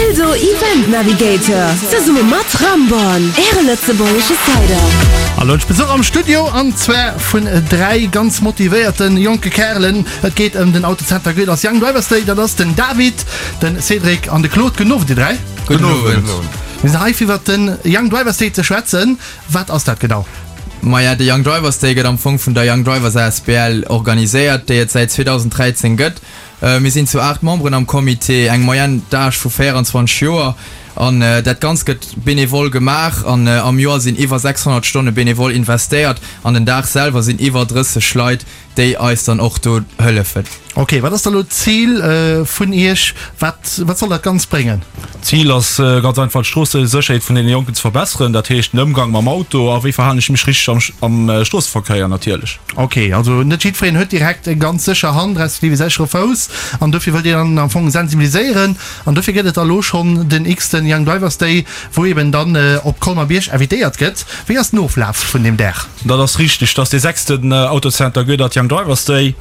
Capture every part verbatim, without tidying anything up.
Eldo Event Navigator, zesumme mat Ramborn, äre lëtzebuergesche Cider. An elo hunn ech Besuch am Studio, an zwar vun dräi ganz motivéierte jonke Kärelen. Et geet ëm den Autocenter Goeders Young Drivers Day. Dat ass den David, den Cédric an de Claude. Gudden Owend, dir dräi. Gudden Owend. Mir sinn hei fir iwwert den Young Drivers Day ze schwätzen. Wat ass dat genau? Maja, de Young Drivers Day gëtt am Fong vun der Young Drivers asbl organiséiert, déi et säit zweedausenddräizéng gëtt. Mir sinn zu aacht Memberen am Comité, eng Moyenne d'âge vu véierenzwanzeg Joer an dat Ganzt gëtt benevol gemaach an am Joer sinn iwwer sechshonnert Stonne benevol investéiert an den Dag selwer sinn iwwer drësseg Leit, déi eis dann och do hëllefen. Ok, wat ass da lo d'Zil vun Iech? Wat wat soll dat Ganzt bréngen? D'Zil ass ganz einfach d'Stroossesécherheet vun deene Jonken ze verbesseren, dat heescht den Ëmgang mam Auto a wéi verhalen ech mech richteg am am Stroosseverkéier natierlech. Ok, also net jiddwereen huet direkt eng ganz sécher Hand respektiv e séchere Fouss an dofir wëllt Dir dann am Fong sensibiliséieren an dofir gëtt et da lo schonn den x-ten Young Drivers Day, wou eben dann op Colmer-Bierg invitéiert gëtt. Wéi ass den Oflaf vun deem Dag? Dat ass richteg, dat ass dee sechsten Autocenter Goedert Young Drivers Day.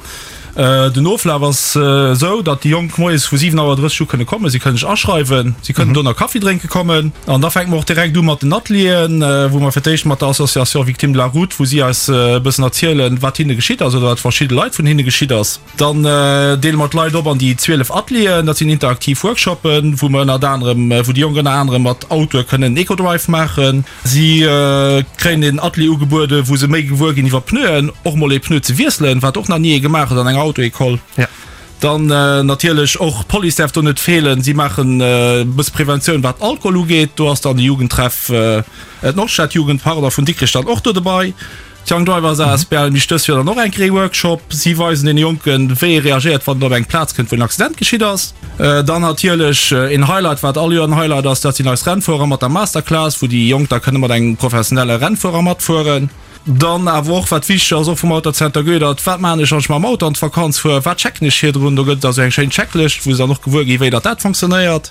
Den Oflaf ass esou, datt déi Jonk moies vu siwen Auer drësseg u kënne kommen. Si kënne sech aschreiwen, si kënnen do nach Kaffi drénke kommen. An da fänke mer och direkt u mat den Atelieren, wou mer fir d'éischt mat der Association Victimes de la Route, wou si eis e bëssen erzielen, wat hinne geschitt ass oder wat verschidde Leit vun hinne geschitt ass. Dann deele mer d'Leit op an déi zwielef Atelieren. Dat sinn interaktiv Workshoppen, wou mer ënnert anerem, wou déi Jonk ënner anerem mat Autoe kënnen Eco-Drive maachen. Si kréien een Atelier ugebueden, wou se méi gewuer ginn iwwer Pneuen, och mol ee Pneu ze wiesselen, wat och nach ni ee gemaach huet an enger Auto-École. Dann natierlech och d'Police däerf do net feelen. Si maachen e bësse Preventioun, wat Alkohol ugeet. Do ass dann de Jugendtreff, d'Nordstadjugend, pardon, vun Dikrech dann och do dobei. D'Young Drivers asbl mécht dëst Joer dann och eng Kéier ee Workshop. Si weisen deene Jonken, wéi ee reagéiert, wann et op eng Plaz kënnt, wou en Accident geschitt ass. Dann natierlech een Highlight, wat all Joer en Highlight ass, dat sinn eis Rennfuerer mat der Masterclass, wou déi Jonk da kënne mat engem professionelle Rennfuerer matfueren. Dann awer och, wat wichteg ass, och vum Autocenter Goedert, Wat maachen ech, wann ech mam Auto an d'Vakanz fuer? Wat checken ech virdrun? Do gëtt et also eng schéin Checklëscht, wou se dann och gewuer ginn, wéi datt dat fonctionnéiert.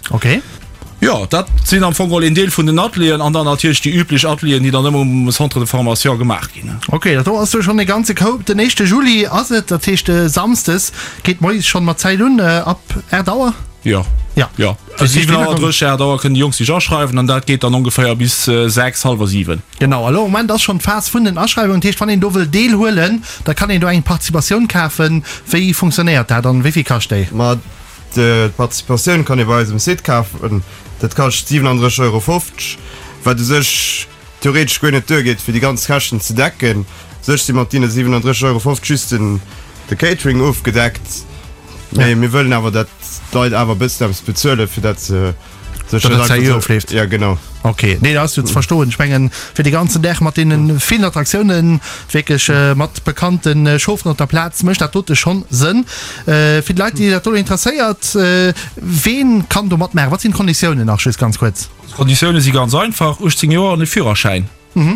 Jo, dat sinn am Fong geholl een Deel vun den Atelieren an dann natierlech déi üblech Atelieren, déi dann ëmmer um Centre de formation gemaach ginn. Ok, dat do ass jo schonn e ganze Koup. Den éischte Juli ass et, dat heescht e Samsdes, geet moies schonn mat Zäit un, ab aacht Auer? Jo, jo, siwen Auer drësseg, aacht Auer kënnen déi Jonk sech aschreiwen an dat geet dann ongeféier bis sechs, hallwer siwen. Genau, elo am Moment ass schonn d'Phas vun den Aschreiwungen, dat heescht wann een do wëll deelhuelen, da kann een do eng Participatioun kafen. Wéi funktionéiert dat an wéi vill kascht déi? Ma D'Participatioun kann ee bei eis um Site kafen. Dat kascht siwenandrësseg Euro fofzeg, wat u sech theoretesch guer net duergeet, fir déi ganz Käschten ze decken. U sech si mat deene siwenandrësseg Euro fofzeg just den de Catering ofgedeckt. Mee mir wëllen awer, dat d'Leit awer e bëssen eppes bezuelen, fir dat se Datt et seriö ofleeft. Ja, genau. Ok, nee, dat ass jo ze verstoen. Ech mengen, fir de ganzen Dag mat deene villen Attraktiounen, wierklech mat bekannte Chaufferen op der Plaz, mécht dat dote schonn Sënn. Fir déi Leit, déi dat do interesséiert, ween kann do matmaachen? Wat sinn d'Konditiounen nach, just ganz kuerz? D'Konditioune si ganz einfach, uechtzéng Joer an e Führerschäin.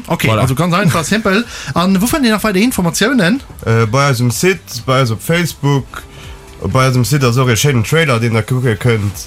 Ok, also ganz einfach, simpel. An wou fënnt een nach weider Informatiounen? Bei eis um Site, bei eis op Facebook. Bei eis um Site ass och ee schéinen Trailer, deen der kucke kënnt.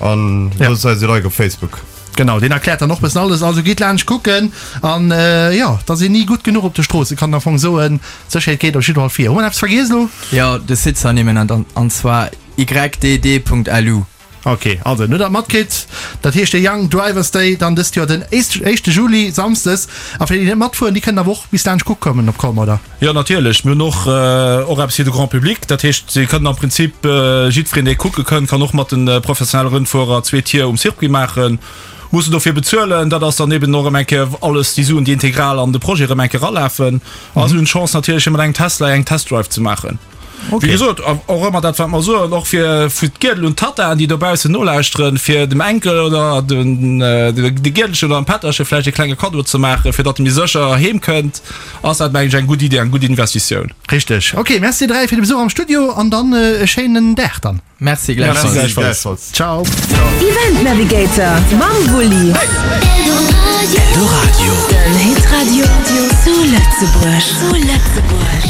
An loosst eis e Like op Facebook. Genau, deen erkläert dann och bëssen alles. Also gitt laanscht kucken. An jo, et ass een ni gutt genuch op de Stroossen, kann een am Fong soen. D'Sécherheet geet op jidde Fall vir. Hu mer eppes vergiess elo? Jo, de Site ze ernimmen, an zwar ydd.lu. Ok, also no dat matkritt, dat heescht de Young Drivers Day dann dëst Joer den éischte Juli, Samsdes. A fir déi, déi net matfueren, déi kënnen awer och bis laanscht kucke kommen op Colmer, oder? Jo, natierlech. Mir hunn och och eppes fir de Grand Public. Dat heescht, si kënnen am Prinzip, jiddwereen, dee kucke kënnt, kann och mat de professionelle Rennfuerer zwee Tier um Circuit maachen, mussen dofir bezuelen. Dat ass dann eben och erëm eng Kéier alles déi Suen, déi integral an de Projet erëm eng Kéier eralafen. A si hunn d'Chance natierlech, fir mat engem Tesla eng Testdrive ze maachen. Wéi gesot, och ëmmer dat, wat mer soen, och fir vu d'Giedel un d'Tattaen, déi dobaussen nolauschteren, fir dem Enkel oder de Giedelchen oder dem Pätterche vläicht e klenge Kaddo ze maachen, fir datt e méi sécher heem kënnt, ass dat, mengen ech, eng gutt Idee, eng gutt Investitioun. Richteg. Ok, Merci dir dräi fir de Besuch am Studio an dann e schéinen Dag dann. Merci gläichfalls. Ciao. Event Navigator mam Wulli. Eldoradio. Den Hitradio zu Lëtzebuerg.